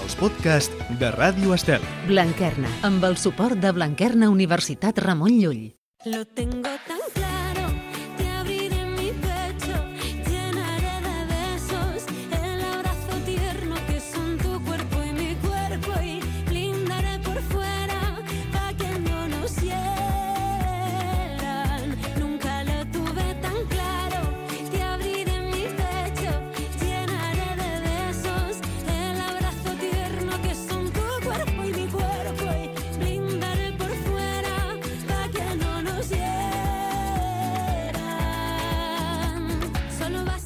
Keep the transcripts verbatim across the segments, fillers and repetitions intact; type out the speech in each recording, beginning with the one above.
els podcasts de Ràdio Estel. Blanquerna, amb el suport de Blanquerna Universitat Ramon Llull. Lo tengo tan claro, te abriré mi pecho, llenaré de besos el abrazo tierno que son tu cuerpo y mi cuerpo y blindaré por fuera pa' que no nos hieran. Nunca lo tuve tan claro, te abriré mi pecho, llenaré de besos el abrazo tierno que son tu cuerpo y mi cuerpo y blindaré por fuera pa' que no nos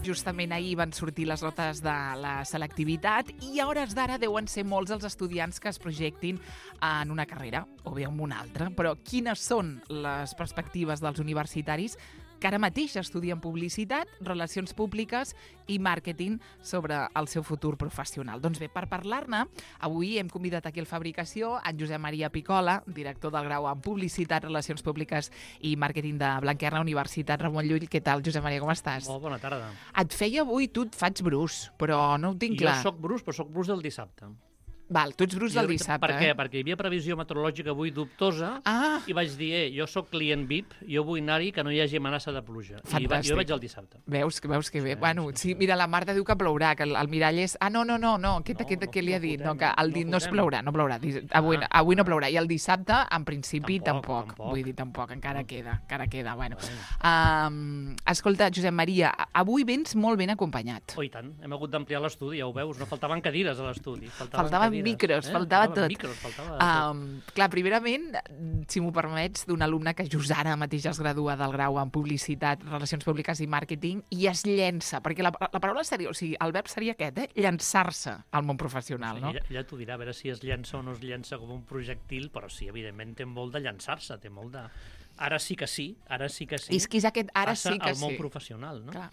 Justament ahir van sortir les notes de la selectivitat i a hores d'ara deuen ser molts els estudiants que es projectin en una carrera o bé en una altra. Però quines són les perspectives dels universitaris que ara mateix estudien publicitat, relacions públiques i màrqueting sobre el seu futur professional? Doncs bé, per parlar-ne, avui hem convidat aquí al Fabricació en Josep Maria Picola, director del grau en Publicitat, Relacions Públiques i Màrqueting de Blanquerna, Universitat Ramon Llull. Què tal, Josep Maria, com estàs? Molt bona tarda. Et feia avui, tu et faig brus, però no ho tinc clar. Jo soc brus, però soc brus del dissabte. Val, tu ets brus del Jo- dissabte, Per què? eh? Perquè hi havia previsió meteorològica avui dubtosa Ah, i vaig dir, eh, jo sóc client V I P, jo vull anar-hi que no hi hagi amenaça de pluja. I va, Fantàstic. jo vaig el dissabte. veus, que veus que bé. Sí, Bueno, sí, sí, sí. mira, la Marta diu que plourà, que el, el mirall és... Ah, no, no, no, no, aquest, No, aquest, no, què li ha no dit? No, fotem, que el no dit no es fotem. plourà, no plourà. Dis- Avui, Ah. avui no plourà. I el dissabte, en principi, Tampoc, tampoc. tampoc. Vull dir, tampoc, encara No. queda, encara queda. Bueno. Bueno. Um, escolta, Josep Maria, avui vens molt ben acompanyat. Oh, i tant, hem hagut d'ampliar l'estudi, ja ho veus, no faltaven cadires a l'estudi. Faltaven, Faltaven cadires, micros, eh? faltava Faltaven tot. Micros, faltava tot. Um, clar, primerament, si m'ho permets, d'un alumne que just ara mateix es gradua del grau en Publicitat, Relacions Públiques i Màrqueting i es llença, perquè la, la paraula seria, o sigui, el verb seria aquest, eh? Llançar-se al món professional, no? Ella, ella t'ho dirà, a veure si es llença o no es llença com un projectil, però sí, evidentment, té molt de llançar-se, té molt de... Ara sí que sí, ara sí que sí. És que és aquest ara Passa sí que al món sí. professional, no? Clar.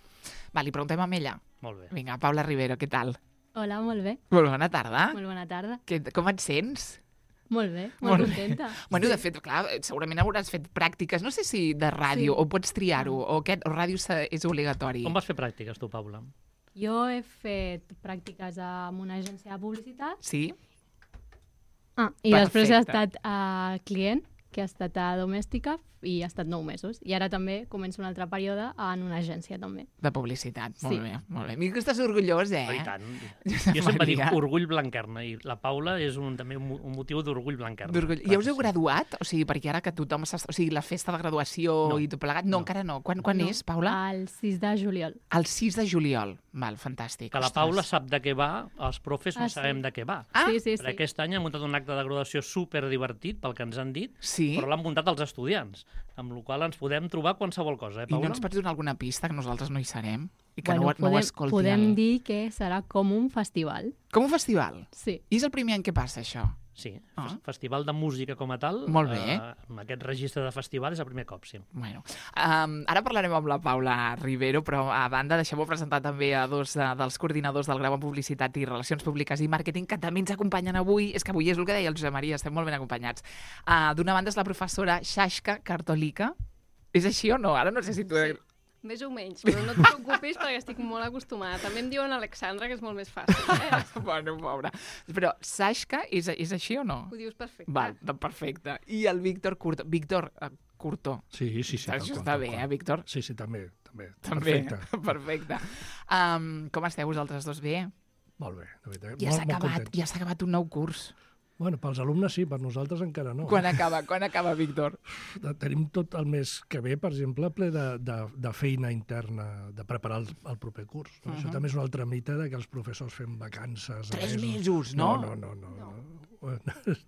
Va, li preguntem a ella. Molt bé. Vinga, Paula Rivero, què tal? Hola, molt bé. Molt bona tarda. Molt bona tarda. Que, com et sents? Molt bé, Molt molt bé. contenta. Bueno, de fet, clar, segurament hauràs fet pràctiques, no sé si de ràdio, Sí. o pots triar-ho, o aquest, o ràdio se- és obligatori. Com vas fer pràctiques, tu, Paula? Jo he fet pràctiques en una agència de publicitat Sí? ah, i després he Perfecte. estat a client, que ha estat a domèstica, i ha estat nou mesos. I ara també començo un altre període en una agència, també. De publicitat, molt Sí. bé, molt bé. Mira que estàs orgullós, eh? Oh, i tant. Josep Jo sempre dic Maria. orgull blanquerna i la Paula és un, també un, mo- un motiu d'orgull blanquerna. D'orgull. Clar Ja us que heu sí. graduat? O sigui, perquè ara que tothom està... O sigui, la festa de graduació No. i tot plegat... No, No. encara no. Quan, quan No, és, Paula? El sis de juliol. El sis de juliol. Val, fantàstic. Que la Ostres. Paula sap de què va, els profes no Ah, sí. sabem de què va. Ah, sí, sí, Per sí. aquest any han muntat un acte de graduació super divertit, pel que ens han dit, Sí? però l'han muntat els estudiants, amb la qual cosa ens podem trobar qualsevol cosa, eh, I no Paula? ens pots donar alguna pista, que nosaltres no hi serem? I que Bueno, no, ho- no ho podem, escolti podem el... dir que serà com un festival. Com un festival? Sí. I és el primer any que passa, això? Sí, Ah. fes- festival de música com a tal. Molt bé. Eh, amb aquest registre de festival és el primer cop, sí. Bueno, um, ara parlarem amb la Paula Rivero, però a banda deixeu-me presentar també a dos uh, dels coordinadors del grau en Publicitat i Relacions Públiques i Màrqueting que també ens acompanyen avui. És que avui és el que deia el Josep Maria, estem molt ben acompanyats. Uh, D'una banda és la professora Xaixca Cartolica. És així o no? Ara no sé si tu... Sí. Més o menys, però no et preocupis perquè estic molt acostumada. També em diuen Alexandra, que és molt més fàcil. Eh? Bueno, pobra. Però Xaixca és, és així o no? Ho dius perfecte. Val, doncs perfecte. I el Víctor Curto. Víctor uh, Curto. Sí, sí, sí. tal Això qual, està tal bé, qual. eh, Víctor? Sí, sí, també. També, També. Perfecte. Perfecte. Um, com esteu vosaltres dos? Bé? Molt bé, de veritat. Ja molt, s'ha molt acabat, contents. ja s'ha acabat un nou curs. Bueno, pels alumnes sí, per nosaltres encara no. Quan acaba, quan acaba, Víctor? Tenim tot el mes que ve, per exemple, ple de, de, de feina interna, de preparar el, el proper curs. No? Uh -huh. Això també és un altre mite de que els professors fem vacances. a Tres mesos, no? No, no, no. no, no.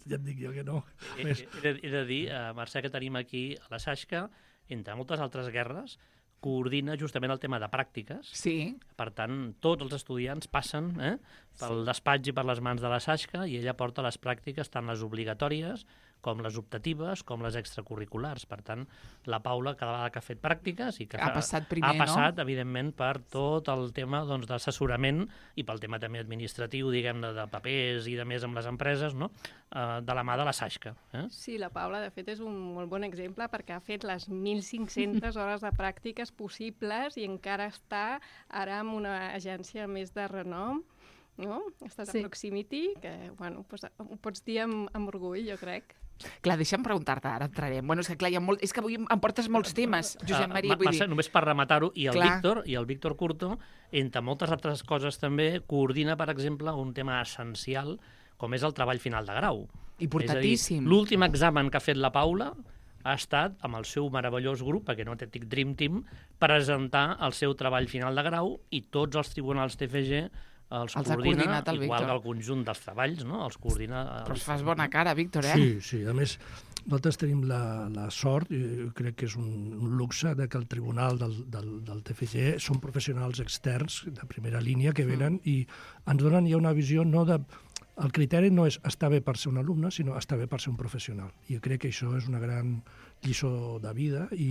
Ja et dic jo que no. He, Més, he, de, he de dir, uh, Mercè, que tenim aquí a la Xaixca, entre moltes altres guerres, coordina justament el tema de pràctiques. Sí. Per tant, tots els estudiants passen eh, pel despatx i per les mans de la Xaixca i ella porta les pràctiques, tant les obligatòries com les optatives, com les extracurriculars. Per tant, la Paula, cada vegada que ha fet pràctiques i que Ha fa- passat primer, ha no? passat, evidentment, per tot el tema doncs, d'assessorament i pel tema també administratiu, diguem-ne, de papers i de més amb les empreses, no? eh, de la mà de la Xaixca. Eh? Sí, la Paula, de fet, és un molt bon exemple perquè ha fet les mil cinc-centes hores de pràctiques possibles i encara està ara en una agència més de renom no? Estàs Sí. a proximity, que, bueno, doncs, ho pots dir amb, amb orgull, jo crec. Clar, deixa'm preguntar-te, ara entrarem. Bueno, és que clar, hi ha molt... És que avui em portes molts temes, Josep Maria, Ah, vull Mercè, dir... només per rematar-ho, i el Clar. Víctor, i el Víctor Curto, entre moltes altres coses també, coordina, per exemple, un tema essencial com és el treball final de grau. Importantíssim. És a dir, l'últim examen que ha fet la Paula ha estat, amb el seu meravellós grup, perquè no té tic Dream Team, presentar el seu treball final de grau i tots els tribunals T F G els, Els ha coordina, coordinat el igual Víctor. que el conjunt dels treballs, no? Els coordina... Però Els... fas bona cara, Víctor, eh? Sí, sí. A més, nosaltres tenim la, la sort, i jo crec que és un, un luxe, de que el tribunal del, del, del T F G són professionals externs de primera línia que venen mm. i ens donen ja una visió no de... El criteri no és estar bé per ser un alumne, sinó estar bé per ser un professional. I jo crec que això és una gran lliçó de vida i,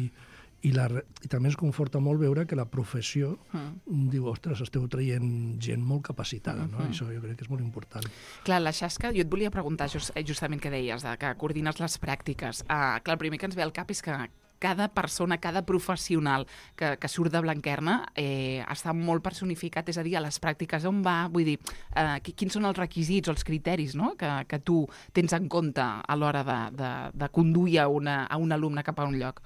i, la, i també ens conforta molt veure que la professió mm. diu, ostres, esteu traient gent molt capacitada, no? Mm-hmm. I això jo crec que és molt important. Clar, la Xasca, jo et volia preguntar just, justament què deies, de que coordines les pràctiques. Uh, clar, el primer que ens ve al cap és que cada persona, cada professional que, que surt de Blanquerna eh, està molt personificat, és a dir, a les pràctiques on va, vull dir, eh, quins són els requisits o els criteris, no?, que, que tu tens en compte a l'hora de, de, de conduir a, una, a un alumne cap a un lloc.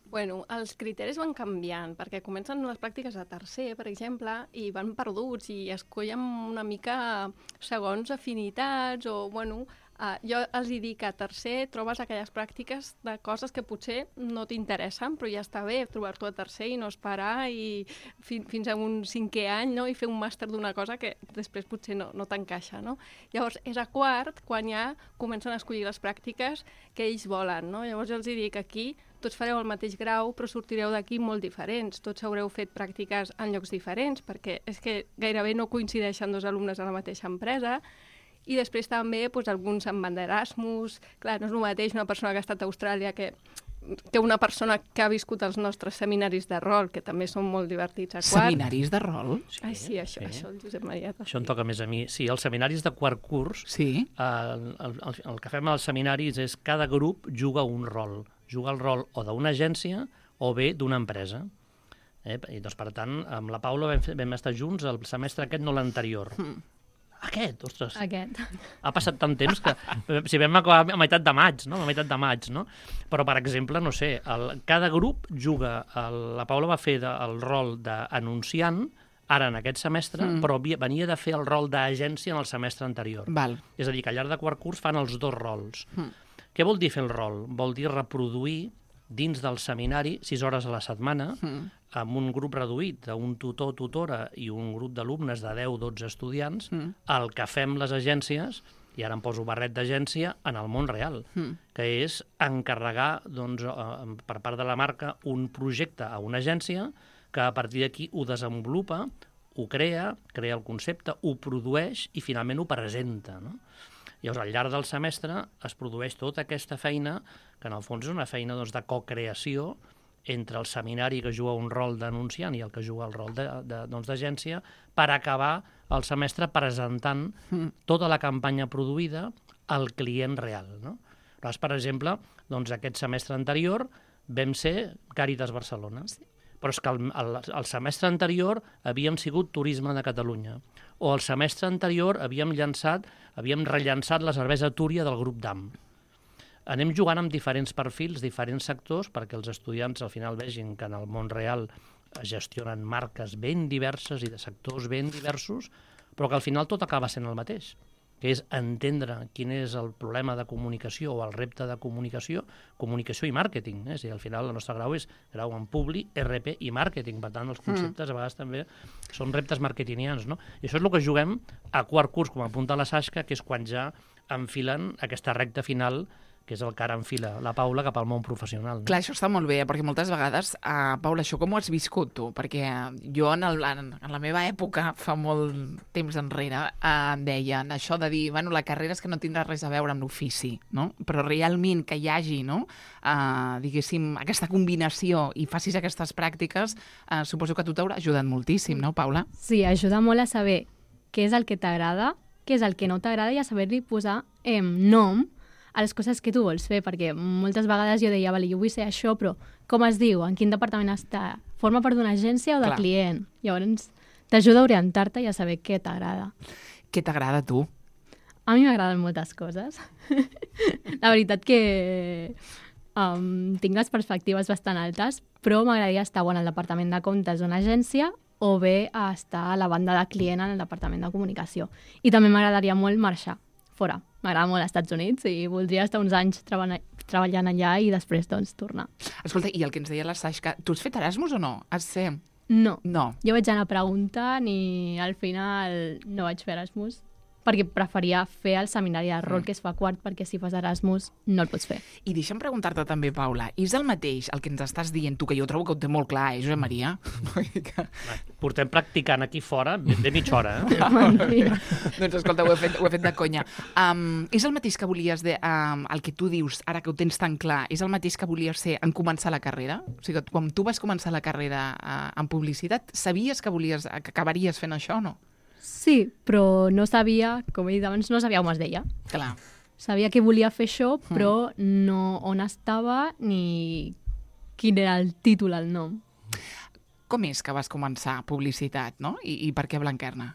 Bueno, els criteris van canviant, perquè comencen les pràctiques a tercer, per exemple, i van perduts i escollen una mica segons afinitats o, bueno, uh, jo els hi dic que a tercer trobes aquelles pràctiques de coses que potser no t'interessen, però ja està bé trobar-t'ho a tercer i no esperar i fi, fins a un cinquè any, no?, i fer un màster d'una cosa que després potser no, no t'encaixa, no? Llavors, és a quart quan ja comencen a escollir les pràctiques que ells volen, no? Llavors jo els hi dic aquí tots fareu el mateix grau, però sortireu d'aquí molt diferents. Tots haureu fet pràctiques en llocs diferents, perquè és que gairebé no coincideixen dos alumnes a la mateixa empresa. I després també doncs, alguns se'n van d'Erasmus. Clar, no és el mateix una persona que ha estat a Austràlia que, que una persona que ha viscut els nostres seminaris de rol, que també són molt divertits a quart. Seminaris de rol? Sí, Ai, sí, això, sí. això el Josep Maria. Això em toca més a mi. Sí, els seminaris de quart curs, sí. eh, el, el, el que fem als seminaris és cada grup juga un rol. Juga el rol o d'una agència o bé d'una empresa. Eh? I doncs, per tant, amb la Paula vam, fer, vam estar junts el semestre aquest, no l'anterior. Mm. Aquest, ostres. Aquest. Ha passat tant temps que... Si vam acabar a meitat de maig, no? A meitat de maig, no? Però, per exemple, no sé, el, cada grup juga... El, la Paula va fer de, el rol d'anunciant ara en aquest semestre, mm. però venia de fer el rol d'agència en el semestre anterior. Val. És a dir, que al llarg de quart curs fan els dos rols. Mm. Què vol dir fer el rol? Vol dir reproduir dins del seminari sis hores a la setmana mm. amb un grup reduït d'un tutor, tutora i un grup d'alumnes de deu dotze estudiants mm. el que fem les agències, i ara em poso barret d'agència, en el món real, mm. que és encarregar doncs, per part de la marca un projecte a una agència que a partir d'aquí ho desenvolupa, ho crea, crea el concepte, ho produeix i finalment ho presenta, no? Llavors, al llarg del semestre es produeix tota aquesta feina, que en el fons és una feina doncs, de co-creació entre el seminari que juga un rol d'anunciant i el que juga el rol d'agència, doncs, per acabar el semestre presentant mm. tota la campanya produïda al client real. No? Llavors, per exemple, doncs, aquest semestre anterior vam ser Càritas Barcelona. Sí. Però és que el, el, el semestre anterior havíem sigut Turisme de Catalunya, o el semestre anterior havíem llançat, havíem rellançat la cervesa Túria del grup D A M. Anem jugant amb diferents perfils, diferents sectors, perquè els estudiants al final vegin que en el món real es gestionen marques ben diverses i de sectors ben diversos, però que al final tot acaba sent el mateix, que és entendre quin és el problema de comunicació o el repte de comunicació, comunicació i màrqueting. Eh? És a dir, al final el nostre grau és grau en Publi, R P i màrqueting. Per tant, els conceptes a vegades també són reptes marketingians. No? I això és el que juguem a quart curs, com apunta la Sasca, que és quan ja enfilen aquesta recta final, que és el que ara enfila la Paula cap al món professional. No? Clar, això està molt bé, perquè moltes vegades, uh, Paula, això com ho has viscut tu? Perquè jo en, el, en, en la meva època, fa molt temps enrere, uh, em deien això de dir, bueno, la carrera és que no tindrà res a veure amb l'ofici, no? Però realment que hi hagi, no?, uh, diguéssim, aquesta combinació i facis aquestes pràctiques, uh, suposo que a tu t'haurà ajudat moltíssim, no, Paula? Sí, ajuda molt a saber què és el que t'agrada, què és el que no t'agrada i a saber-li posar eh, nom a les coses que tu vols fer, perquè moltes vegades jo deia, vale, jo vull ser això, però com es diu? En quin departament està? Forma part d'una agència o de Clar. client? Llavors t'ajuda a orientar-te i a saber què t'agrada. Què t'agrada a tu? A mi m'agraden moltes coses. La veritat que um, tinc les perspectives bastant altes, però m'agradaria estar o en el departament de comptes d'una agència o bé a estar a la banda de client en el departament de comunicació. I també m'agradaria molt marxar fora. M'agrada molt als Estats Units i voldria estar uns anys treball treballant allà i després doncs tornar. Escolta, i el que ens deia la Sasha, tu has fet Erasmus o no? Has ser... No. No. Jo vaig anar preguntant i al final no vaig fer Erasmus perquè preferia fer el seminari de rol mm. que es fa quart, perquè si fas Erasmus no el pots fer. I deixa'm preguntar-te també, Paula, és el mateix el que ens estàs dient tu, que jo trobo que ho té molt clar, eh, Josep Maria? que... Portem practicant aquí fora de mitja hora, eh? Doncs escolta, ho he fet, ho he fet de conya. Um, és el mateix que volies, de, um, el que tu dius, ara que ho tens tan clar, és el mateix que volies ser en començar la carrera? O sigui, quan tu vas començar la carrera uh, en publicitat, sabies que volies que acabaries fent això o no? Sí, però no sabia, com he dit abans, no sabia on es deia. Clar. Sabia que volia fer això, però no on estava ni quin era el títol, el nom. Com és que vas començar publicitat, no? I, i per què Blanquerna?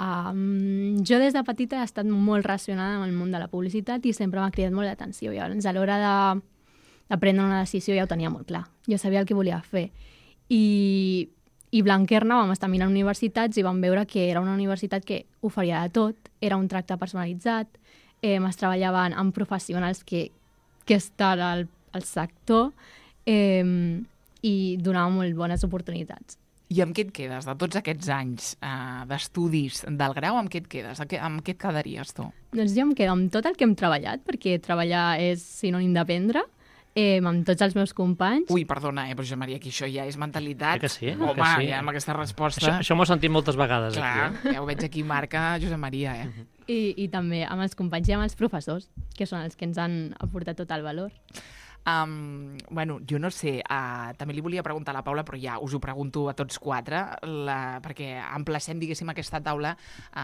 Um, jo des de petita he estat molt relacionada amb el món de la publicitat i sempre m'ha cridat molt l'atenció. Llavors, a l'hora de, de prendre una decisió ja ho tenia molt clar. Jo sabia el que volia fer. I... I Blanquerna vam estar mirant universitats i vam veure que era una universitat que oferia de tot, era un tracte personalitzat, eh, es treballaven amb professionals que, que estan al, al sector eh, i donava molt bones oportunitats. I amb què et quedes de tots aquests anys eh, d'estudis del grau? Amb què et quedes? Amb què, amb què et quedaries tu? Doncs jo em quedo amb tot el que hem treballat, perquè treballar és sinònim d'aprendre, Eh, amb tots els meus companys. Ui, perdona, eh, però Josep Maria, que això ja és mentalitat. Eh que sí? Home, que sí. ja amb aquesta resposta... Això, això m'ho he sentit moltes vegades. Clar, aquí, eh? ja ho veig aquí, marca Josep Maria, eh? Uh-huh. I, I també amb els companys i amb els professors, que són els que ens han aportat tot el valor. Um, bueno, jo no sé, uh, també li volia preguntar a la Paula, però ja us ho pregunto a tots quatre, la, perquè emplacem, diguéssim, aquesta taula,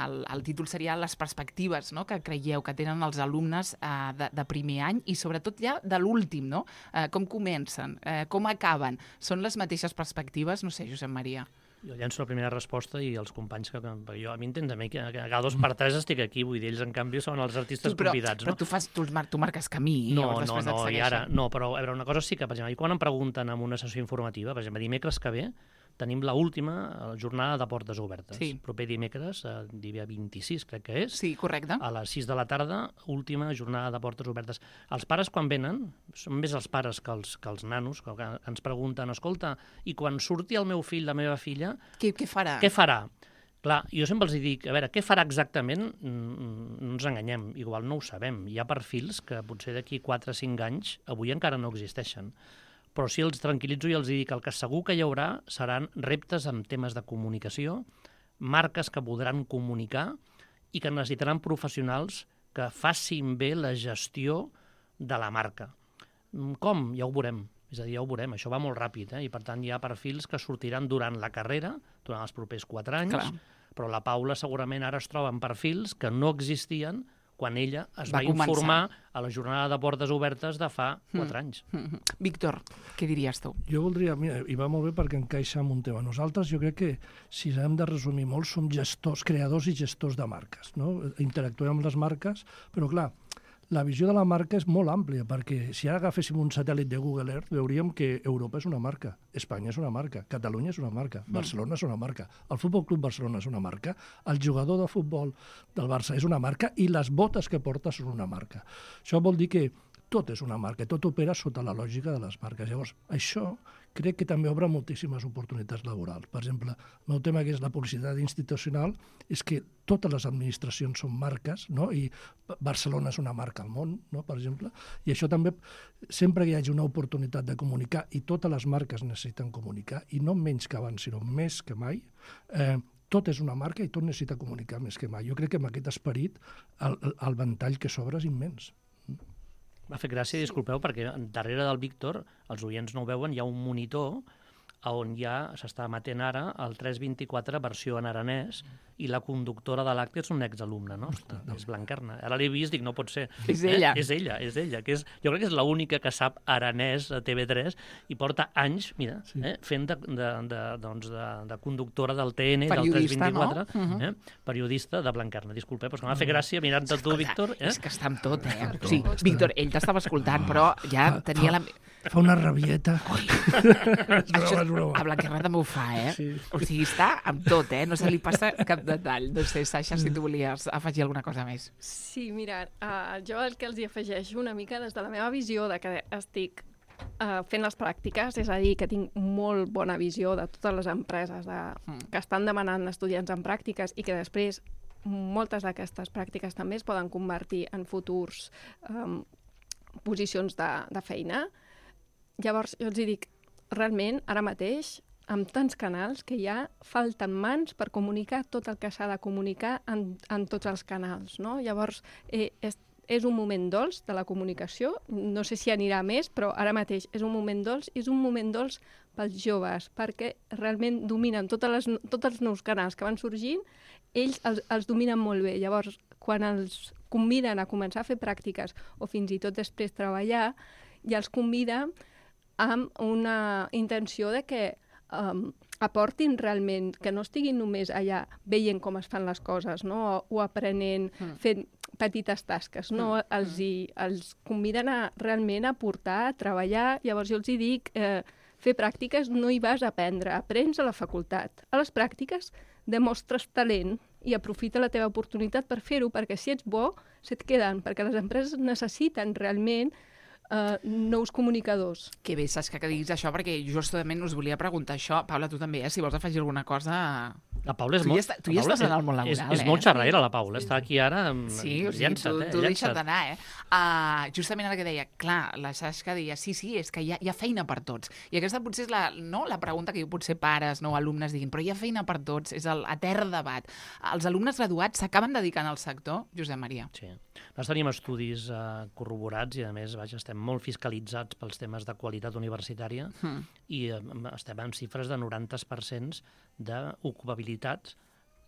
el, el títol seria les perspectives, no?, que creieu que tenen els alumnes uh, de, de primer any i sobretot ja de l'últim, no? Uh, com comencen, uh, com acaben? Són les mateixes perspectives? No sé, Josep Maria. Jo llenço la primera resposta i els companys que... Perquè jo, a mi entens a mi que, que a cada dos per tres estic aquí, vull dir, ells en canvi són els artistes tu, però, convidats, no? Però tu, fas, tu, tu marques camí i no, llavors no, després no, et segueixen. I ara, no, però a veure, una cosa sí que, per exemple, quan em pregunten en una sessió informativa, per exemple, dimecres que ve, tenim l'última jornada de portes obertes. Sí. Proper dimecres, eh, dia vint-i-sis, crec que és. Sí, correcte. A les sis de la tarda, última jornada de portes obertes. Els pares, quan venen, són més els pares que els, que els nanos, que ens pregunten, escolta, i quan surti el meu fill, la meva filla... Què, què farà? Què farà? Clar, jo sempre els dic, a veure, què farà exactament? No ens enganyem, igual no ho sabem. Hi ha perfils que potser d'aquí quatre o cinc anys avui encara no existeixen. Però sí els tranquil·litzo i els dic que el que segur que hi haurà seran reptes en temes de comunicació, marques que podran comunicar i que necessitaran professionals que facin bé la gestió de la marca. Com? Ja ho veurem. És a dir, ja ho veurem. Això va molt ràpid, eh? I per tant hi ha perfils que sortiran durant la carrera, durant els propers quatre anys, Clar. Però la Paula segurament ara es troba en perfils que no existien quan ella es va, va informar a la jornada de portes obertes de fa quatre anys. Mm -hmm. Víctor, què diries tu? Jo voldria, mira, i va molt bé perquè encaixa amb un tema. Nosaltres, jo crec que, si hem de resumir molt, som gestors, creadors i gestors de marques, no? Interactuem amb les marques, però clar, la visió de la marca és molt àmplia, perquè si ara agaféssim un satèl·lit de Google Earth, veuríem que Europa és una marca, Espanya és una marca, Catalunya és una marca, Barcelona és una marca, el Futbol Club Barcelona és una marca, el jugador de futbol del Barça és una marca i les botes que porta són una marca. Això vol dir que tot és una marca, tot opera sota la lògica de les marques. Llavors, això crec que també obre moltíssimes oportunitats laborals. Per exemple, el meu tema, que és la publicitat institucional, és que totes les administracions són marques, no? I Barcelona és una marca al món, no? Per exemple. I això també, sempre que hi hagi una oportunitat de comunicar, i totes les marques necessiten comunicar, i no menys que abans, sinó més que mai, eh, tot és una marca i tot necessita comunicar més que mai. Jo crec que amb aquest esperit el, el ventall que s'obre és immens. M'ha fet gràcia, disculpeu, perquè darrere del Víctor, els oients no ho veuen, hi ha un monitor on ja s'està emetent ara el tres vint-i-quatre versió en aranès, i la conductora de l'acte és un exalumne nostre, és Blanquerna. Ara l'he vist, dic, no pot ser. És ella. Eh? És ella, és ella. Que és, jo crec que és l'única que sap aranès a T V tres i porta anys, mira, sí. eh, fent de, de, de, doncs de, de conductora del T N, del tres vint-i-quatre, no? uh-huh. eh, periodista de Blanquerna. Disculpa, però que m'ha fet gràcia mirant-te tu, Víctor. Eh? És que està amb tot, eh? O sigui, Víctor, ell t'estava escoltant, però ja tenia la... Fa una rabieta. Això, a Blanquerna també ho fa, eh? Sí. O sigui, està amb tot, eh? No se li passa cap detall. No sé, Sasha, si tu volies afegir alguna cosa més. Sí, mira, uh, jo el que els hi afegeixo una mica des de la meva visió de que estic uh, fent les pràctiques, és a dir, que tinc molt bona visió de totes les empreses de, mm. que estan demanant estudiants en pràctiques i que després moltes d'aquestes pràctiques també es poden convertir en futurs um, posicions de, de feina. Llavors, jo els dic, realment, ara mateix, amb tants canals que ja falten mans per comunicar tot el que s'ha de comunicar en, en tots els canals, no? Llavors, eh, és, és un moment dolç de la comunicació, no sé si anirà més, però ara mateix és un moment dolç, és un moment dolç pels joves, perquè realment dominen totes les, tots els nous canals que van sorgint, ells els, els dominen molt bé. Llavors, quan els conviden a començar a fer pràctiques o fins i tot després treballar, ja els convida amb una intenció de que um, aportin realment, que no estiguin només allà veient com es fan les coses, no? o, o aprenent, mm. fent petites tasques, no? Mm. Els, hi, els conviden a realment a portar, a treballar. Llavors jo els hi dic, eh, fer pràctiques no hi vas a aprendre, aprens a la facultat. A les pràctiques demostres talent i aprofita la teva oportunitat per fer-ho, perquè si ets bo, se't queden, perquè les empreses necessiten realment Uh, nous comunicadors. Que bé, Sasha, que diguis això, perquè justament us volia preguntar això. Paula, tu també, eh? Si vols afegir alguna cosa... La Paula és tu molt... Ja està, tu ja estàs en el món laboral, és, eh? És molt xerraire, la Paula. Està aquí ara... Sí, o sigui, llença't, tu, eh? tu llença't. deixa't anar, eh? Uh, justament ara que deia, clar, la Sasha deia, sí, sí, és que hi ha, hi ha feina per tots. I aquesta potser és la, no, la pregunta que potser pares, no, alumnes diguin, però hi ha feina per tots, és el etern debat. Els alumnes graduats s'acaben dedicant al sector, Josep Maria? Sí. Nosaltres tenim estudis uh, corroborats i, a més, vaja, estem molt fiscalitzats pels temes de qualitat universitària mm. i uh, estem en xifres de noranta per cent d'ocupabilitat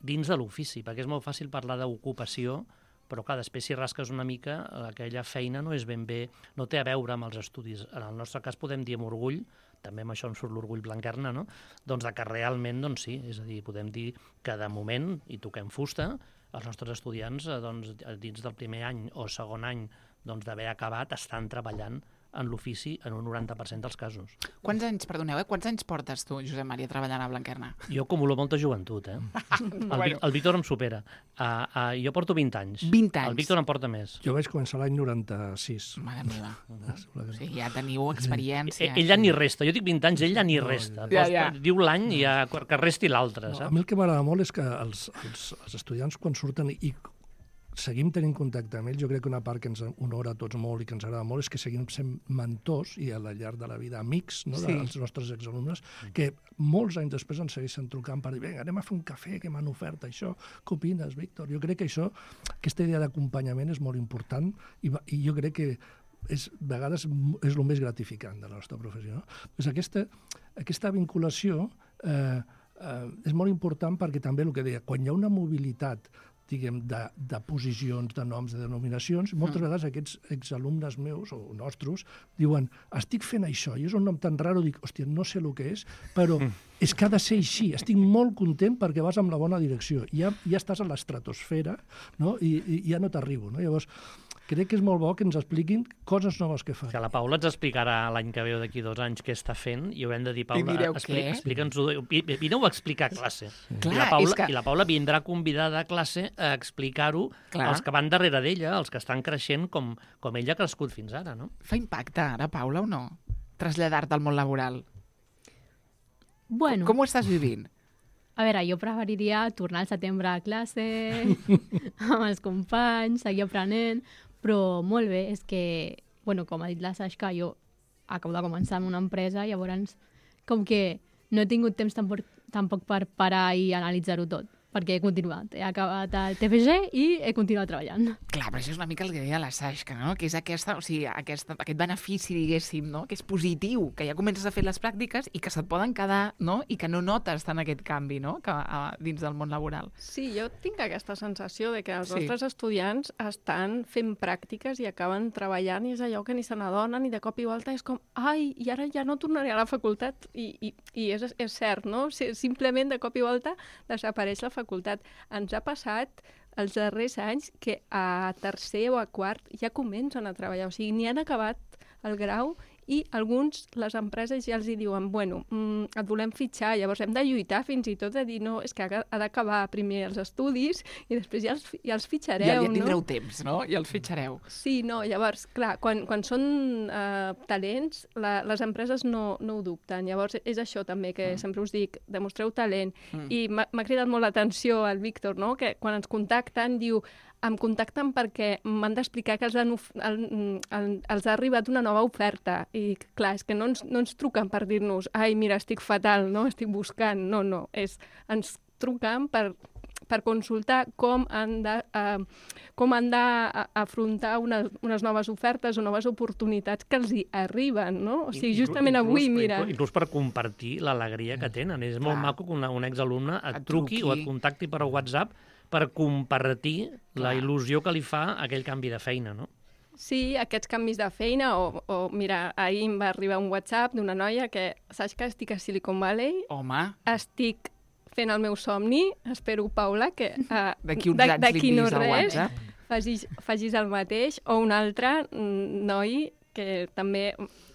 dins de l'ofici, perquè és molt fàcil parlar d'ocupació, però clar, després si rasques una mica, aquella feina no és ben bé, no té a veure amb els estudis. En el nostre cas podem dir amb orgull, també amb això em surt l'orgull Blanquerna, no? Doncs que realment, doncs sí, és a dir, podem dir que de moment, i toquem fusta, els nostres estudiants, doncs, dins del primer any o segon any doncs, d'haver acabat, estan treballant en l'ofici en un noranta per cent dels casos. Quants anys, perdoneu, eh? Quants anys portes tu, Josep Maria, treballant a Blanquerna? Jo acumulo molta joventut, eh? El, bueno. el Víctor em supera. Uh, uh, jo porto vint anys. vint anys? El Víctor em porta més. Jo vaig començar l'any noranta-sis. Mare meva. O sigui, ja teniu experiència. Ell, ell ja ni resta. Jo dic vint anys, ell ja ni resta. Ja, ja. Diu l'any i ja, que resti l'altre, no, saps? a mi el que m'agrada molt és que els, els, els estudiants quan surten i seguim tenint contacte amb ells, jo crec que una part que ens honora a tots molt i que ens agrada molt és que seguim sent mentors i a la llarg de la vida amics, no, sí. dels nostres exalumnes, que molts anys després ens segueixen trucant per dir, vinga, anem a fer un cafè, que m'han ofert això, què opines, Víctor? Jo crec que això, aquesta idea d'acompanyament és molt important i, i jo crec que és, a vegades és el més gratificant de la nostra professió. No? Pues aquesta, aquesta vinculació eh, eh, és molt important perquè també el que deia, quan hi ha una mobilitat diguem, de, de posicions, de noms, de denominacions, moltes mm. vegades aquests exalumnes meus o nostres diuen, estic fent això, i és un nom tan raro, dic, hòstia, no sé el que és, però mm. és que ha de ser així, estic molt content perquè vas en la bona direcció, ja, ja estàs a l'estratosfera, no? I, i ja no t'arribo, no? Llavors, crec que és molt bo que ens expliquin coses noves que fan. Que la Paula ens explicarà l'any que ve o d'aquí dos anys què està fent i haurem de dir, Paula, expli explica'ns-ho, vineu a explicar a classe. Sí. Clar, I, la Paula, que... I la Paula vindrà convidada a classe a explicar-ho als que van darrere d'ella, els que estan creixent com, com ella ha crescut fins ara, no? Fa impacte ara, Paula, o no? Traslladar-te al món laboral. Bueno. Com, com ho estàs vivint? A veure, jo preferiria tornar al setembre a classe, amb els companys, seguir aprenent, però molt bé, és que, bueno, com ha dit la Sasha, jo acabo de començar en una empresa, llavors com que no he tingut temps tampoc, tampoc per parar i analitzar-ho tot. perquè he continuat. He acabat el T F G i he continuat treballant. Clar, però això és una mica el que deia la Sasha, no? Que és aquesta, o sigui, aquesta, aquest benefici, diguéssim, no? Que és positiu, que ja comences a fer les pràctiques i que se't poden quedar, no? I que no notes tant aquest canvi, no? Que, a, dins del món laboral. Sí, jo tinc aquesta sensació de que els Sí. nostres estudiants estan fent pràctiques i acaben treballant i és allò que ni se n'adonen i de cop i volta és com, ai, i ara ja no tornaré a la facultat. I, i, i és, és cert, no? Si- Simplement de cop i volta desapareix la facultat. Ens ha passat els darrers anys que a tercer o a quart ja comencen a treballar, o sigui, ni han acabat el grau i alguns, les empreses ja els hi diuen, bueno, mm, et volem fitxar, llavors hem de lluitar fins i tot de dir, no, és que ha ha d'acabar primer els estudis i després ja els, fi- ja els fitxareu, Ja, ja no? tindreu temps, no? I els fitxareu. Sí, no, llavors, clar, quan, quan són eh, talents, la, les empreses no, no ho dubten. Llavors, és això també que mm. sempre us dic, demostreu talent. Mm. I m'ha m'ha cridat molt l'atenció el Víctor, no?, que quan ens contacten diu, em contacten perquè m'han d'explicar que els, han, of- el, el, els ha arribat una nova oferta. I, clar, és que no ens, no ens truquen per dir-nos, ai, mira, estic fatal, no?, estic buscant. No, no, és, ens truquen per per consultar com han de, uh, com han d'afrontar unes, unes noves ofertes o noves oportunitats que els hi arriben, no? O sigui, justament Inclús- avui, inclús- mira... Inclús per compartir l'alegria que tenen. És molt Clar. maco que una, un exalumne et, Et truqui, truqui. o et contacti per WhatsApp per compartir la Clar. il·lusió que li fa aquell canvi de feina, no? Sí, aquests canvis de feina, o, o mira, ahir em va arribar un WhatsApp d'una noia que, saps que estic a Silicon Valley, Home, estic fent el meu somni, espero, Paula, que uh, d'aquí uns anys li no envies al res WhatsApp. facis, facis el mateix, o un altre mm, noi que també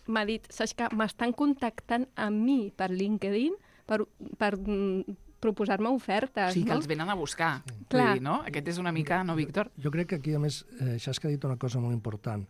m'ha dit, saps que m'estan contactant a mi per LinkedIn per, per mm, proposar-me O ofertes, sigui, que no? els venen a buscar. Vull Clar. dir, no? Aquest és una mica, no, Víctor? Jo crec que aquí, a més, eh, Xasca ha dit una cosa molt important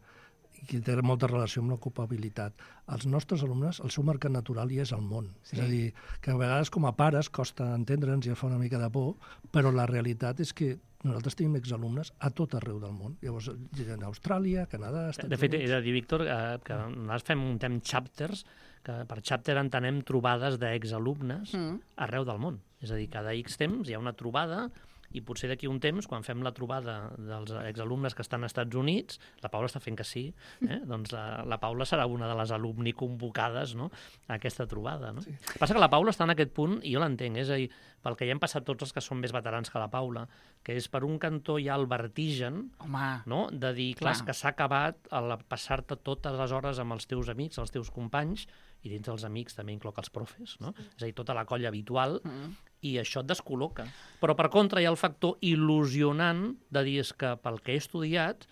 i que té molta relació amb l'ocupabilitat. Els nostres alumnes, el seu mercat natural ja és el món. Sí. És a dir, que a vegades com a pares costa entendre'ns i ja fa una mica de por, però la realitat és que nosaltres tenim exalumnes a tot arreu del món. Llavors, en Austràlia, Canadà, Estats De fet, he Units... de dir, Víctor, eh, que nosaltres fem un temps chapters, que per chapter entenem trobades d'exalumnes Mm. arreu del món. És a dir, cada X temps hi ha una trobada i potser d'aquí un temps, quan fem la trobada dels exalumnes que estan als Estats Units, la Paula està fent que sí, eh? doncs la, la Paula serà una de les alumni convocades, no?, a aquesta trobada. No? Sí. Passa que la Paula està en aquest punt, i jo l'entenc, és a dir, pel que ja hem passat tots els que són més veterans que la Paula, que és per un cantó hi ha el vertigen, Home, no?, de dir, clar, Clar. que s'ha acabat el passar-te totes les hores amb els teus amics, els teus companys, i dins dels amics també incloc els profes, no? És a dir, tota la colla habitual, mm. i això et descol·loca. Però, per contra, hi ha el factor il·lusionant de dir és que pel que he estudiat,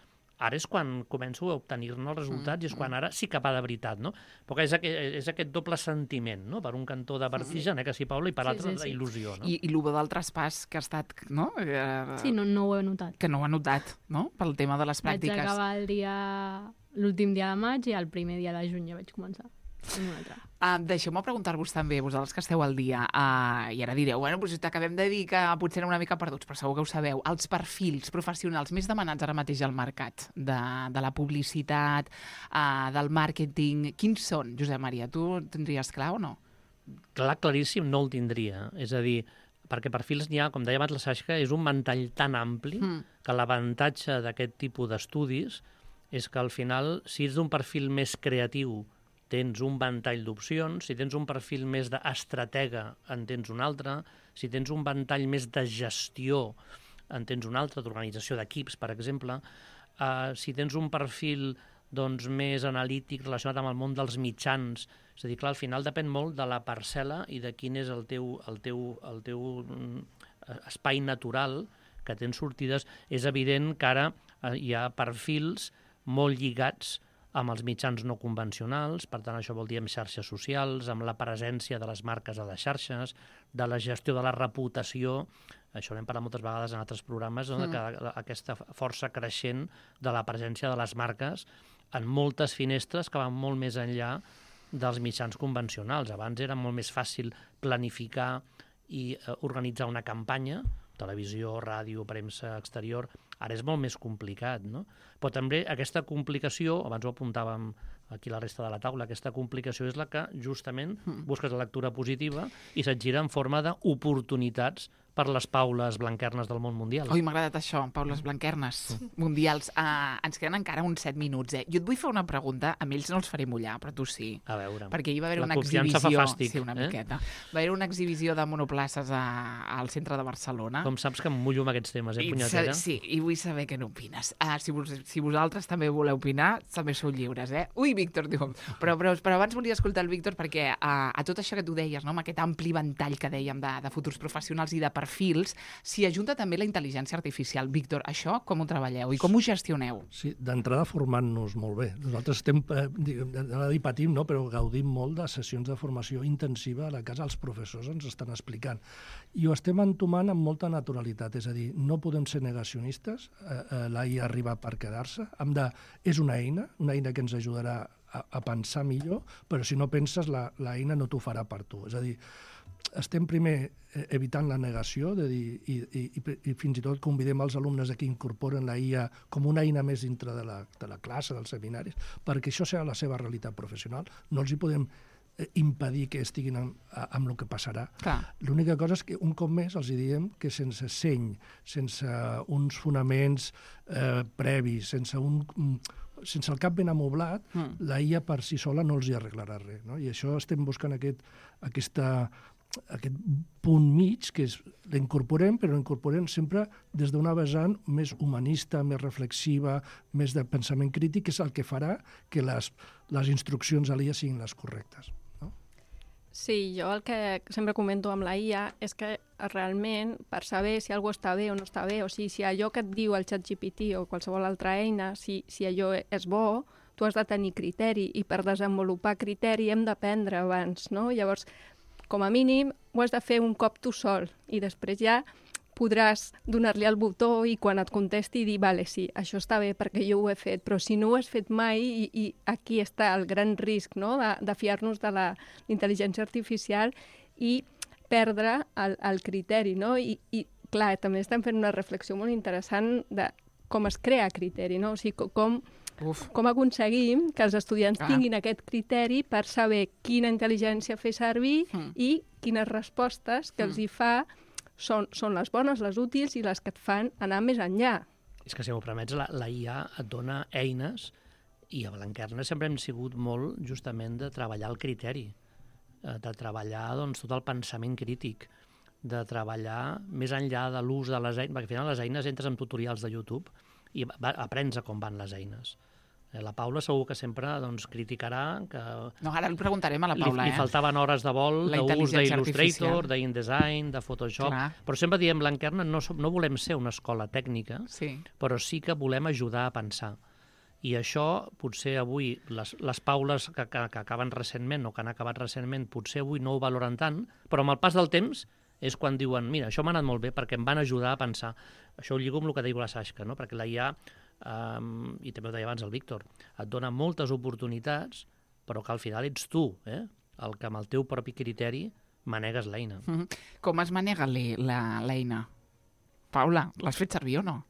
ara és quan començo a obtenir-ne els resultats, mm. i és quan ara sí que va de veritat, no? Però que és, aquest, és aquest doble sentiment, no?, per un cantó de vertigen, eh, que sí, Paula, i per Sí, l'altre sí, sí. d'il·lusió, no? I, i el del traspàs que ha estat, no? Eh, Sí, no, no ho he notat. Que no ho ha notat, no? Pel tema de les Vaig pràctiques. acabar el dia... l'últim dia de maig i el primer dia de juny ja vaig començar. amb un altre. Uh, Deixeu-me preguntar-vos també, vosaltres que esteu al dia, uh, i ara direu, bueno, doncs t'acabem de dir que potser eren una mica perduts, però segur que ho sabeu, els perfils professionals més demanats ara mateix al mercat, de, de la publicitat, uh, del màrqueting, quins són, Josep Maria? Tu ho tindries clar o no? Clar, claríssim, no el tindria. És a dir, perquè perfils n'hi ha, com deia abans la Sasha, és un ventall tan ampli Mm. que l'avantatge d'aquest tipus d'estudis és que al final, si ets d'un perfil més creatiu, tens un ventall d'opcions, si tens un perfil més d'estratega, en tens un altre, si tens un ventall més de gestió, en tens un altre, d'organització d'equips, per exemple, uh, si tens un perfil doncs, més analític relacionat amb el món dels mitjans, és a dir, clar, al final depèn molt de la parcel·la i de quin és el teu, el teu, el teu mm, espai natural que tens sortides. És evident que ara eh, hi ha perfils molt lligats amb els mitjans no convencionals, per tant això vol dir amb xarxes socials, amb la presència de les marques a les xarxes, de la gestió de la reputació, això n'hem parlat moltes vegades en altres programes, no? Mm. Que aquesta força creixent de la presència de les marques en moltes finestres que van molt més enllà dels mitjans convencionals. Abans era molt més fàcil planificar i eh, organitzar una campanya, televisió, ràdio, premsa exterior, ara és molt més complicat, no? Però també aquesta complicació, abans ho apuntàvem aquí a la resta de la taula, aquesta complicació és la que justament busques la lectura positiva i se't gira en forma d'oportunitats per les Paules Blanquernes del món mundial. Oi, m'ha agradat això, Paules Blanquernes mundials. Uh, ens queden encara uns set minuts, eh? Jo et vull fer una pregunta, a ells no els faré mullar, però tu sí. A veure, perquè hi va haver la una confiança exhibició... fa fàstic. Sí, una eh? miqueta. Va haver una exhibició de monoplaces a, al centre de Barcelona. Com saps que em mullo amb aquests temes, eh, I punyetera? Sí, i vull saber què n'opines. Uh, si, vos, si vosaltres també voleu opinar, també sou lliures, eh? Ui, Víctor, diu. Però, però, però abans volia escoltar el Víctor perquè uh, a tot això que tu deies, no? Amb aquest ampli ventall que dèiem de, de futurs professionals i de perfils, s'hi ajunta també la intel·ligència artificial. Víctor, això com ho treballeu i com ho gestioneu? Sí, d'entrada formant-nos molt bé. Nosaltres estem, eh, a dir patim, no? Però gaudim molt de sessions de formació intensiva a la casa, els professors ens estan explicant. I ho estem entomant amb molta naturalitat, és a dir, no podem ser negacionistes, eh, eh, l'A I arriba per quedar-se, hem de, és una eina, una eina que ens ajudarà a, a pensar millor, però si no penses, la, la eina no t'ho farà per tu. És a dir, estem primer evitant la negació de dir, i, i, i fins i tot convidem els alumnes a que incorporen la I A com una eina més dintre de la, de la classe, dels seminaris, perquè això serà la seva realitat professional. No els hi podem impedir que estiguin amb, amb el que passarà. Clar. L'única cosa és que un cop més els diem que sense seny, sense uns fonaments eh, previs, sense un... sense el cap ben amoblat, mm. la I A per si sola no els hi arreglarà res. No? I això estem buscant aquest, aquesta, aquest punt mig, que és l'incorporem, però l'incorporem sempre des d'una vessant més humanista, més reflexiva, més de pensament crític, que és el que farà que les, les instruccions a l'I A siguin les correctes. No? Sí, jo el que sempre comento amb la I A és que realment, per saber si alguna està bé o no està bé, o sigui, si allò que et diu el ChatGPT o qualsevol altra eina, si, si allò és bo, tu has de tenir criteri, i per desenvolupar criteri hem d'aprendre abans, no? Llavors, com a mínim, ho has de fer un cop tu sol, i després ja podràs donar-li el botó i quan et contesti dir, vale, sí, això està bé perquè jo ho he fet, però si no ho has fet mai, i, i aquí està el gran risc, no?, de, de fiar-nos de la intel·ligència artificial i perdre el, el criteri, no? I, i clar, també estem fent una reflexió molt interessant de com es crea criteri, no? O sigui, com, Uf. com aconseguim que els estudiants Ah. tinguin aquest criteri per saber quina intel·ligència fer servir Mm. i quines respostes que Mm. els hi fa són, són les bones, les útils i les que et fan anar més enllà. És que, si m'ho permets, la, la I A et dona eines, i a Blanquerna sempre hem sigut molt, justament, de treballar el criteri, eh, de treballar, doncs, tot el pensament crític, de treballar més enllà de l'ús de les eines, perquè al final les eines entres en tutorials de YouTube i va, aprens a com van les eines. Eh, La Paula segur que sempre doncs, criticarà que No, ara li preguntarem a la li, Paula, li eh? faltaven hores de vol, La d'ús intel·ligència d'Illustrator, artificial. d'InDesign, de Photoshop, Clar. però sempre diem, Blanquerna, no, som, no volem ser una escola tècnica, Sí. però sí que volem ajudar a pensar. I això, potser avui, les, les Paules que, que, que acaben recentment o que han acabat recentment, potser avui no ho valoren tant, però amb el pas del temps és quan diuen, mira, això m'ha anat molt bé perquè em van ajudar a pensar. Això ho lligo amb el que diu la Sasha, no? Perquè la I A, um, i també ho deia abans el Víctor, et dona moltes oportunitats, però que al final ets tu, eh? El que amb el teu propi criteri manegues l'eina. Mhm. Com es manega l'e- la- l'eina? Paula, l'has fet servir o no?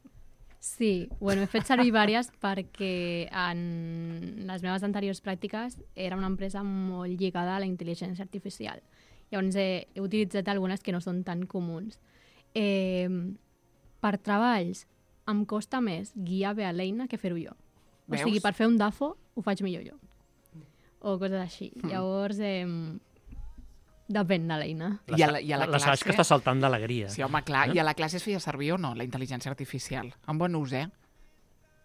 Sí, bueno, he fet servir diverses perquè en les meves anteriors pràctiques era una empresa molt lligada a la intel·ligència artificial. Llavors he, he utilitzat algunes que no són tan comuns. Eh, per treballs em costa més guiar bé a l'eina que fer-ho jo. O Veus? sigui, per fer un D A F O ho faig millor jo. O coses així. Mm. Llavors, eh, depèn de l'eina. La, I a la- i a la la classe? Sasha està saltant d'alegria. Sí, home, clar. Eh? I a la classe es feia servir o no, la intel·ligència artificial? Amb bon ús, eh?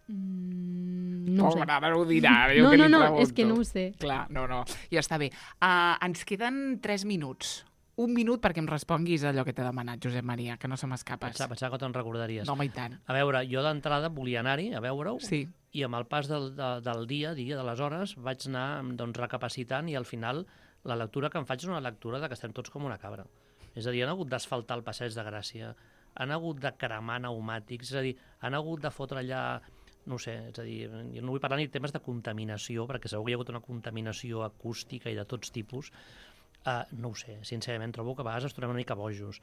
Mm, no ho sé. Pobra, ara ho dirà, ara jo No, que no, li no, pregunto. és que no ho sé. Clar, no, no, ja està bé. Uh, ens queden tres minuts. Un minut perquè em responguis allò que t'he demanat, Josep Maria, que no se m'escapes. Pensava, pensava que te'n recordaries. No, home, i tant. A veure, jo d'entrada volia anar-hi a veure-ho, Sí. i amb el pas del, de, del dia, dia de les hores, vaig anar doncs, recapacitant, i al final la lectura que em faig és una lectura de que estem tots com una cabra. És a dir, han hagut d'asfaltar el passeig de Gràcia, han hagut de cremar pneumàtics, és a dir, han hagut de fotre allà, no ho sé, és a dir, jo no vull parlar ni de temes de contaminació, perquè segur que hi ha hagut una contaminació acústica i de tots tipus. Uh, no ho sé, sincerament, trobo que a vegades ens tornem una mica bojos.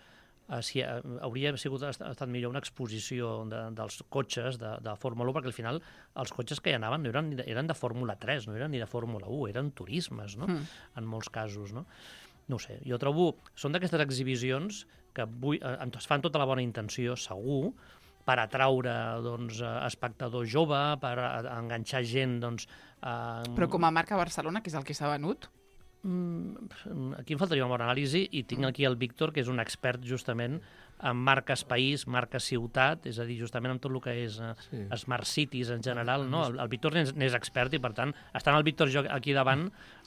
Uh, si, uh, hauria sigut, ha estat millor una exposició de, dels cotxes de, de Fórmula u, perquè al final els cotxes que hi anaven no eren, eren de Fórmula tres, no eren ni de Fórmula u, eren turismes, no? Mm. En molts casos, no? No ho sé, jo trobo... Són d'aquestes exhibicions que vull, eh, es fan tota la bona intenció, segur, per atraure doncs, espectador jove, per enganxar gent... Doncs, eh... Però com a marca Barcelona, que és el que s'ha venut? Mm, aquí em faltaria una bona anàlisi i tinc aquí el Víctor, que és un expert justament en marques país, marques ciutat, és a dir, justament amb tot el que és uh, sí. Smart Cities en general, no? El, el Víctor n'és expert i, per tant, estant el Víctor jo aquí davant,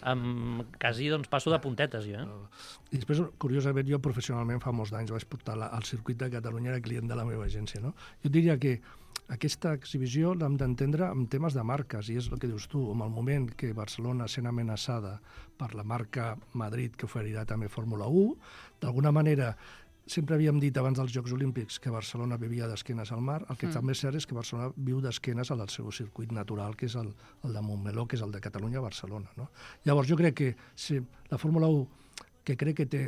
um, quasi doncs, passo de puntetes, jo. Eh? I després, curiosament, jo professionalment fa molts anys vaig portar la, al circuit de Catalunya, era client de la meva agència, no? Jo diria que aquesta exhibició l'hem d'entendre en temes de marques, i és el que dius tu, en el moment que Barcelona sent amenaçada per la marca Madrid, que oferirà també Fórmula u, d'alguna manera, sempre havíem dit abans dels Jocs Olímpics que Barcelona vivia d'esquenes al mar, el que mm. també és cert és que Barcelona viu d'esquenes al seu circuit natural, que és el, el de Montmeló, que és el de Catalunya-Barcelona. No? Llavors, jo crec que si la Fórmula u, que crec que té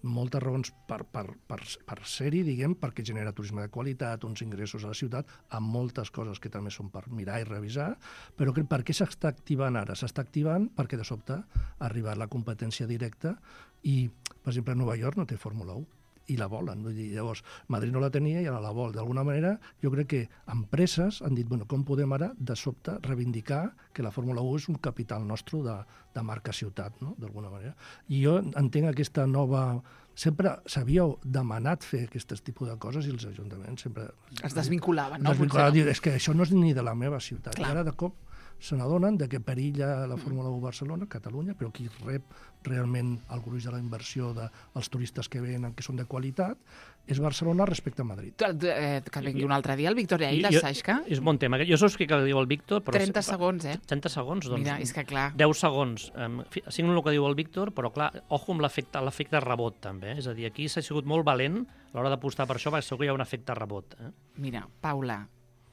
moltes raons per, per, per, per ser-hi, diguem, perquè genera turisme de qualitat, uns ingressos a la ciutat, amb moltes coses que també són per mirar i revisar, però que, per què s'està activant ara? S'està activant perquè de sobte ha arribat la competència directa i, per exemple, Nova York no té Fórmula u i la volen. Vull dir, llavors, Madrid no la tenia i ara la vol. D'alguna manera, jo crec que empreses han dit, bueno, com podem ara, de sobte, reivindicar que la Fórmula u és un capital nostre de, de marca ciutat, no?, d'alguna manera. I jo entenc aquesta nova... Sempre s'havia demanat fer aquests tipus de coses i els ajuntaments sempre... Es desvinculaven, no? Desvinculaven, dir, és que això no és ni de la meva ciutat. Clar. I ara, de cop, se n'adonen de que perilla la Fórmula u Barcelona, Catalunya, però qui rep realment el gruix de la inversió dels turistes que venen, que són de qualitat, és Barcelona respecte a Madrid. Eh, que vingui un altre dia el Víctor i la Saixka. És bon tema. Jo saps què diu el Víctor, però... trenta segons, eh? trenta segons, doncs... Mira, és que clar... deu segons. Um, signo el que diu el Víctor, però clar, ojo amb l'efecte rebot, també. És a dir, aquí s'ha sigut molt valent a l'hora d'apostar per això, perquè segur que hi ha un efecte rebot. Eh? Mira, Paula,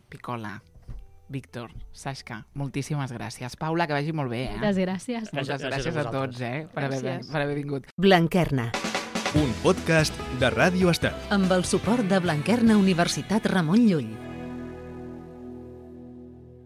Picola, Víctor, Saixka, moltíssimes gràcies. Paula, que vagi molt bé, eh? Moltes gràcies. Moltes gràcies, gràcies a, a tots, eh? Per haver, per haver vingut. Blanquerna. Un podcast de Ràdio Estel. Amb el suport de Blanquerna Universitat Ramon Llull.